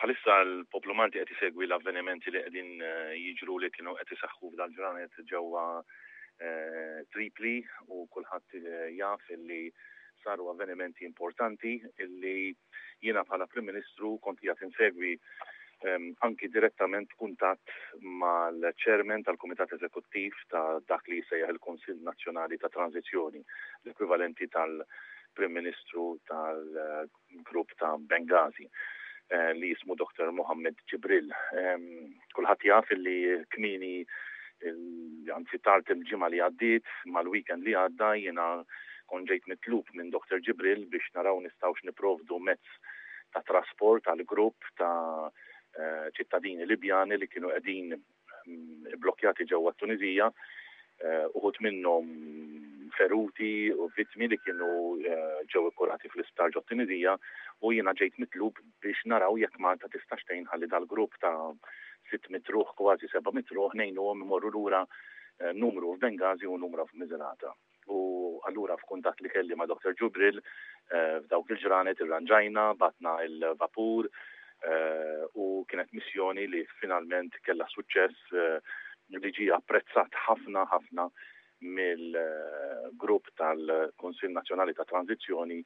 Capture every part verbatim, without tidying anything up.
Bħalissa l-poplu Malti qed isegwi l-avvenimenti li qegħdin eh, jiġru, li kienu qed iseħħu f'dal-ġranet ġewwa eh, Tripli, u kulħadd eh, jaf illi saru avvenimenti importanti illi jiena bħala Prim Ministru kont qiegħed insegwi ehm, anki direttament, kuntatt mal-chairman tal-Kumitat Eżekuttiv ta' dak li jissejjaħ il-Kunsill Nazzjonali ta' Tranzizzjoni, l-ekwivalenti tal-Prim Ministru tal-Grupp ta' Benghazi, Eh, li jismu Doktor Mohammed Jibril. Kulħadd jaf li kmieni, anzi tard il-ġimgħa li għaddiet, mal-weekend li għadda, jiena kont ġejt mitlub minn Doktor Jibril biex naraw nistgħux nipprovdu mezz ta' trasport għal grupp ta' eh, ċittadini Libjani li kienu qegħdin mm, blokkjati ġewwa Tunizija, eh, uħud minnhom feruti u vittmi li kienu ġew ikkurati fl-isptar ġo Tunizija, u jiena ġejt mitlub biex naraw jekk Malta tista' tgħin ħalli dal-grupp ta' sitt mitt ruħ, kważi seba' mitt ruħ, ngħinuhom imorru lura, eh, numru f'Bengazi u numru f'Miżrata. U allura f'kuntatt li kelli ma' Doktor Ġubril eh, f'dawk il-ġranet irranġajna, bgħatna il-vapur eh, u kienet missjoni li finalment kella suċċess, li ġie apprezzat ħafna ħafna mill-grupp tal-Kunsill Nazzjonali ta' Tranzizzjoni,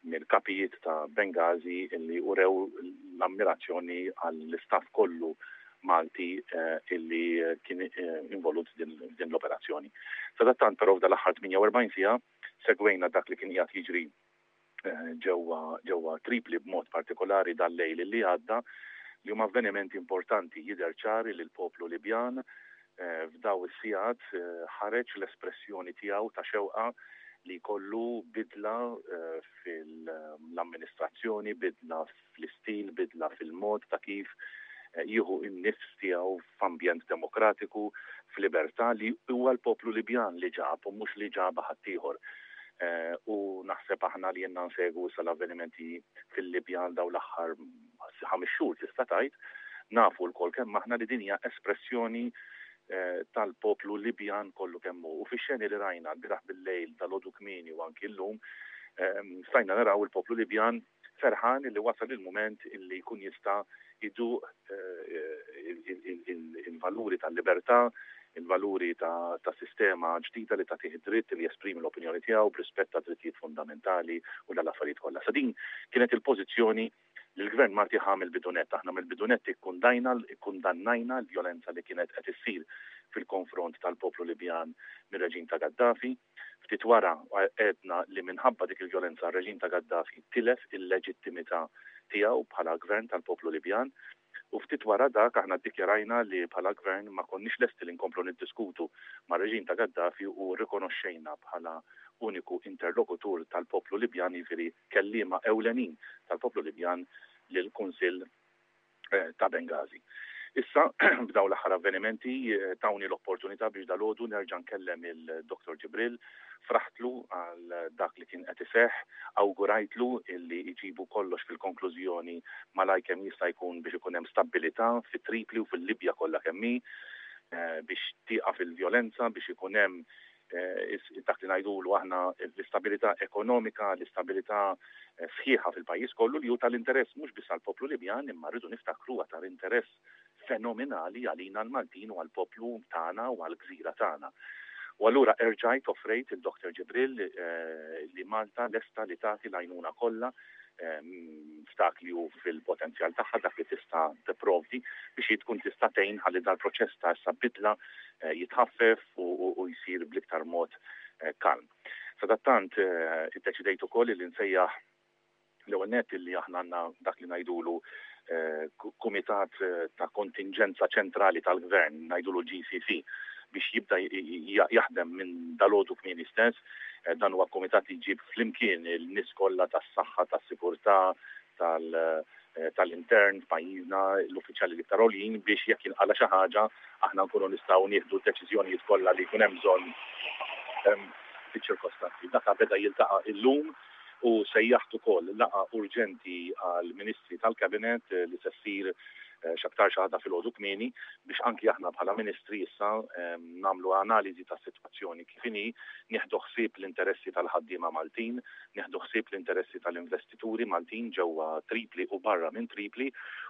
mill-kapijiet ta' Benghazi, illi urew l-ammirazzjoni għall-istaff kollu Malti eh, illi kien eh, involut din l-operazzjoni. Sadattant però, f'dal-aħħar tmienja u erbgħin siegħa segwejna dak li kien qiegħed jiġri eh, ġewwa ġewwa Tripli, b'mod partikolari dal-lejl li għadda, li huma avvenimenti importanti. Jidher ċar li l-poplu Libjan f'daw is-sigħat ħareġ l-espressjoni tiegħu ta' xewqa li jkollu bidla eh, fil-amministrazzjoni, bidla fl-istil, bidla fil-mod ta' kif eh, jieħu n-nifs tiegħu f'ambjent demokratiku, f'libertà li huwa l-poplu Libjan li ġab u mhux li ġab ħaddieħor. Eh, u naħseb aħna li ilna nsegwu sal-avvenimenti fil-Libja daw l-aħħar ħames xhur, tista' tgħid, nafu lkoll kemm aħna li din hija espressjoni Eh, tal-poplu Libjan kollu kemm hu. U fix-xeni li rajna lbieraħ bil-lejl, dalgħodu kmieni u anki llum, ehm, stajna naraw il-poplu Libjan ferħan li wasal il-moment illi jkun jista' jduq eh, il-valuri tal-libertà, il-valuri ta' sistema ġdida li tagħtih dritt li jesprimi l-opinjoni tiegħu b'rispett ta' drittijiet fundamentali u dal-affarijiet kollha. Sa din kienet il-pożizzjoni li l-gvern Malti ħa mill-bidu nett. Aħna mill-bidu nett ikkundannajna l-vjolenza li kienet qed issir fil-konfront tal-poplu Libjan mir-reġim ta' Gaddafi. Ftit wara għedna li minħabba dik il-vjolenza r-reġim ta' Gaddafi tilef il-leġittimità tiegħu bħala gvern tal-poplu Libjan. U ftit wara dak aħna ddikjarajna li bħala gvern ma konniex lesti li nkomplu niddiskutu ma' reġim ta' Gaddafi u rrikonoxxejna bħala uniku interlokutur tal-poplu Libjan, jiġifieri kelliema ewlenin tal-poplu Libjan, lill-Kunsill eh, ta' Benghazi. Issa, b'daw l-aħħar avvenimenti eh, tawni l-opportunità biex dalgħodu nerġa' nkellem il-Doktor Ġibril, fraħtlu għal dak li kien qed iseħħ, awgurajtlu illi jġibu kollox fil-konklużjoni malaj kemm jista' jkun biex ikun hemm stabilità fit-Tripli u fil-Libja kollha kemm hi, eh, biex tieqaf il-vjolenza, biex ikun hemm Eh, dak li ngħidulu aħna l-istabilità ekonomika, l-istabilità eh, sħiħa fil-pajjiż kollu, li hu tal-interess mhux biss għall-poplu Libjan, imma rridu niftakru tal-interess fenomenali għalina l-Maltin u għall-poplu tagħna u għall-gżira tagħna. U allura erġajt offrejt il-Doktor Ġibril eh, li Malta lesta li tagħti l-għajnuna kollha f'dak li hu fil-potenzjal tagħha, dak li tista' tipprovdi biex tkun tista' tgħin ħalli dal-proċess ta' issa bidla eh, jitħaffef u jsir bl-iktar mod eh, kalm. Sadattant eh, iddeċidejt ukoll li nsejjaħ l-ewwel nett li aħna għandna dak li ngħidulu kumitat ta' kontingenza ċentrali tal-gvern, ngħidulu G C C, biex jibda jaħdem minn dalgħodu kmieni stess. Eh, dan huwa komitat li jġib flimkien il-nies kollha tas-saħħa, tas-sigurtà, eh, tal-intern f'pajjiżna, l-uffiċjali l-iktar għoljin, biex jekk jinqala xi ħaġa aħna nkunu nistgħu nieħdu deċiżjonijiet kollha li jkun hemm bżonn ehm, fiċ-ċirkostanzi. Dak beda jiltaqa' illum u sejjaħt ukoll laqgħa urġenti għal ministri tal-kabinet eh, li se ssir eh, x'aktarx għada filgħodu kmieni, biex anki aħna bħala ministri issa ehm, nagħmlu analiżi tas-sitwazzjoni kif inhi, nieħdu ħsieb l-interessi tal-ħaddiema Maltin, nieħdu ħsieb l-interessi tal-investituri Maltin ġewwa Tripli u barra minn Tripli.